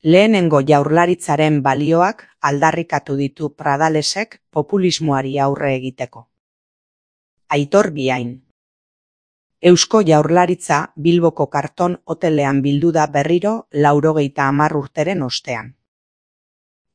Lehenengo jaurlaritzaren balioak aldarrikatu ditu Pradalesek populismoari aurre egiteko. Aitor Biain. Eusko Jaurlaritza Bilboko Karton hotelean bildu da berriro 90 urteren ostean.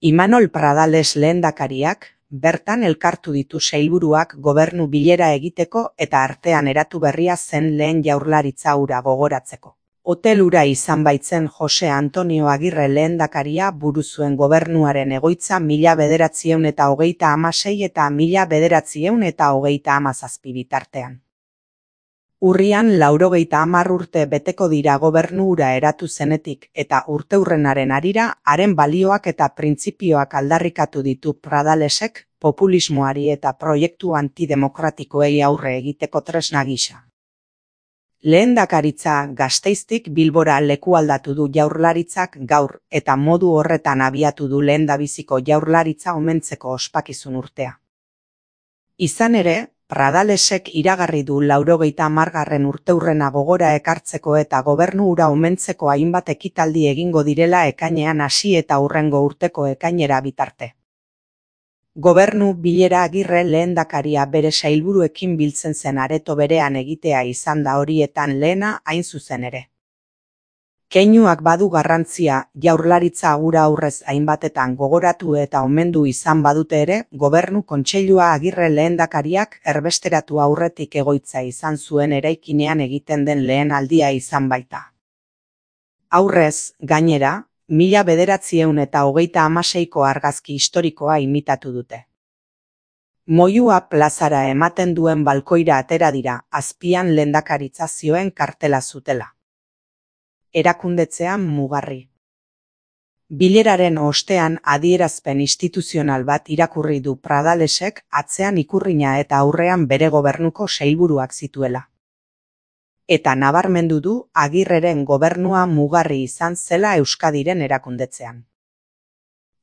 Imanol Pradales lehendakariak bertan elkartu ditu sailburuak gobernu bilera egiteko eta artean eratu berria zen lehen jaurlaritza hura gogoratzeko. Hotel hura izan baitzen Jose Antonio Agirre lehendakaria buru zuen gobernuaren egoitza 1926 eta 1937 bitartean. Urrian 90 urte beteko dira gobernu hura eratu zenetik eta urteurrenaren harira haren balioak eta printzipioak aldarrikatu ditu Pradalesek populismoari eta proiektu antidemokratikoei aurre egiteko tresna gisa. Lehendakaritza Gasteiztik Bilbora lekualdatu du jaurlaritzak gaur eta modu horretan abiatu du lehendabiziko jaurlaritza omentzeko ospakizun urtea. Izan ere, Pradalesek iragarri du 90. urteurrena gogora ekartzeko eta gobernu hura omentzeko hainbat ekitaldi egingo direla ekainean hasi eta hurrengo urteko ekainera bitarte. Gobernu bilera Agirre lehendakaria bere sailburuekin biltzen zen areto berean egitea izan da horietan lehena hain zuzen ere. Keinuak badu garrantzia, jaurlaritza hura aurrez hainbatetan gogoratu eta omendu izan badute ere, gobernu kontseilua Agirre lehendakariak erbesteratu aurretik egoitza izan zuen eraikinean egiten den lehen aldia izan baita. Aurrez, gainera, 1926ko argazki historikoa imitatu dute. Moyua plazara ematen duen balkoira atera dira, azpian lehendakaritza zioen kartela zutela. Erakundetzean mugarri. Bileraren ostean adierazpen instituzional bat irakurri du Pradalesek atzean ikurrina eta aurrean bere gobernuko sailburuak zituela. Eta nabarmendu du Agirreren gobernua mugarri izan zela Euskadiren erakundetzean.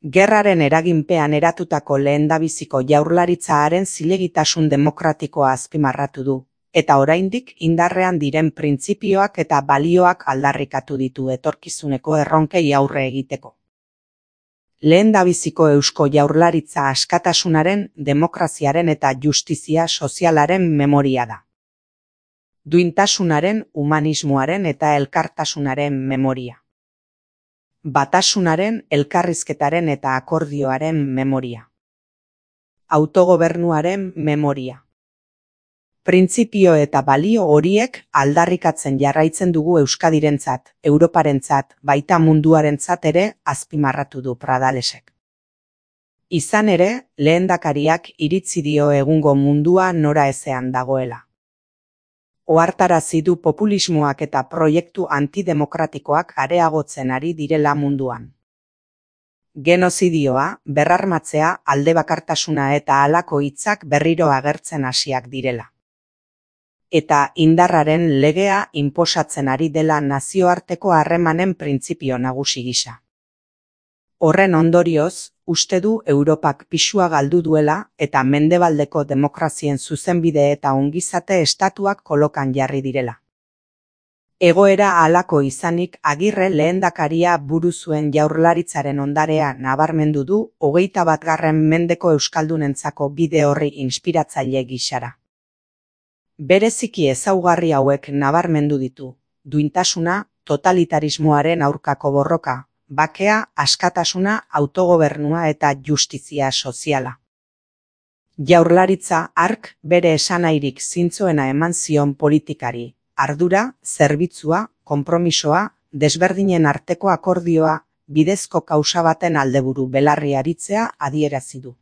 Gerraren eraginpean eratutako lehendabiziko jaurlaritzaaren zilegitasun demokratikoa azpimarratu du, eta oraindik indarrean diren printzipioak eta balioak aldarrikatu ditu etorkizuneko erronkei aurre egiteko. Lehendabiziko Eusko Jaurlaritza askatasunaren, demokraziaren eta justizia sozialaren memoria da. Duintasunaren, humanismoaren eta elkartasunaren memoria. Batasunaren, elkarrizketaren eta akordioaren memoria. Autogobernuaren memoria. Printzipio eta balio horiek aldarrikatzen jarraitzen dugu Euskadirentzat, Europarentzat, baita munduarentzat ere azpimarratu du Pradalesek. Izan ere, lehendakariak iritzi dio egungo mundua nora ezean dagoela. Ohartarazi du populismoak eta proiektu antidemokratikoak areagotzen ari direla munduan. Genozidioa, berrarmatzea, aldebakartasuna eta halako hitzak berriro agertzen hasiak direla. Eta indarraren legea inposatzen ari dela nazioarteko harremanen printzipio nagusi gisa. Horren ondorioz, uste du Europak pisua galdu duela eta mendebaldeko demokrazien zuzenbide eta ongizate estatuak kolokan jarri direla. Egoera halako izanik Agirre lehendakaria buru zuen jaurlaritzaren ondarea nabarmendu du 21. mendeko euskaldunentzako bide horri inspiratzaile gisara. Bereziki ezaugarri hauek nabarmendu ditu, duintasuna, totalitarismoaren aurkako borroka, bakea, askatasuna, autogobernua eta justizia soziala. Jaurlaritza hark bere esanahirik zintzoena eman zion politikari, ardura, zerbitzua, konpromisoa, desberdinen arteko akordioa, bidezko kausa baten aldeburu belarri aritzea adierazi du.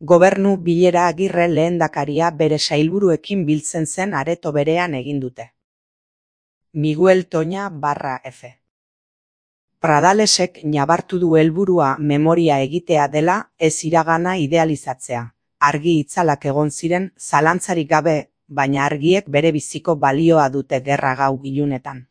Gobernu bilera Agirre lehendakaria bere sailburuekin biltzen zen areto berean egin dute. Miguel Toña /F. Pradalesek nabartu du helburua memoria egitea dela, ez iragana idealizatzea. Argi itzalak egon ziren, zalantzarik gabe, baina argiek bere biziko balioa dute gerra gau ilunetan.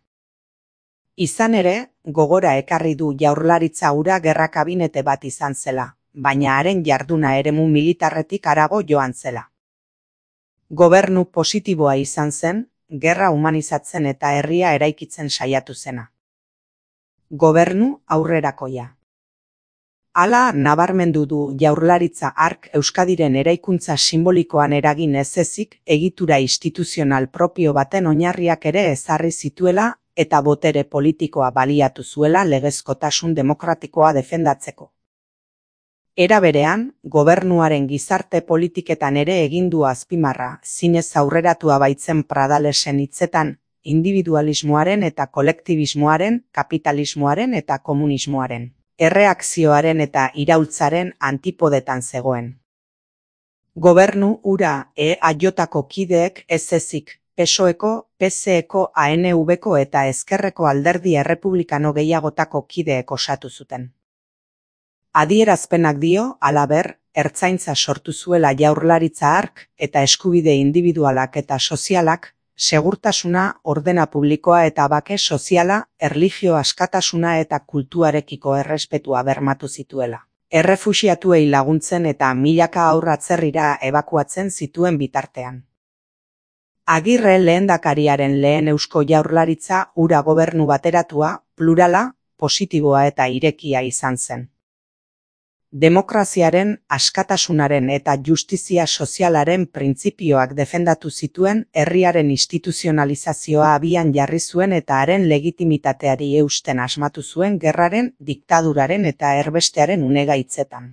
Izan ere, gogora ekarri du jaurlaritza hura gerra kabinete bat izan zela, baina haren jarduna eremu militarretik harago joan zela. Gobernu positiboa izan zen, gerra humanizatzen eta herria eraikitzen saiatu zena. Gobernu aurrerakoia. Hala nabarmendu du Jaurlaritza hark Euskadiren eraikuntza sinbolikoan eragin ez ezik egitura instituzional propio baten oinarriak ere ezarri zituela eta botere politikoa baliatu zuela legezkotasun demokratikoa defendatzeko. Era berean, gobernuaren gizarte politiketan ere egin du azpimarra, zinez aurreratua baitzen Pradalesen hitzetan, individualismoaren eta kolektibismoaren, kapitalismoaren eta komunismoaren, erreakzioaren eta iraultzaren antipodetan zegoen. Gobernu hura EAJko kideek ez ezik, PSOEko, PSeko, ANVko eta Ezkerreko alderdi errepublikano gehiagotako kideek osatu zuten. Adierazpenak dio, halaber, ertzaintza sortu zuela Jaurlaritza hark eta eskubide indibidualak eta sozialak, segurtasuna, ordena publikoa eta bake soziala, erlijio askatasuna eta kultuarekiko errespetua bermatu zituela. Errefuxiatuei laguntzen eta milaka haur atzerrira ebakuatzen zituen bitartean. Agirre lehendakariaren lehen Eusko Jaurlaritza hura gobernu bateratua, plurala, positiboa eta irekia izan zen. Demokraziaren, askatasunaren eta justizia sozialaren printzipioak defendatu zituen, herriaren instituzionalizazioa abian jarri zuen eta haren legitimitateari eusten asmatu zuen gerraren, diktaduraren eta erbestearen unegaitzetan.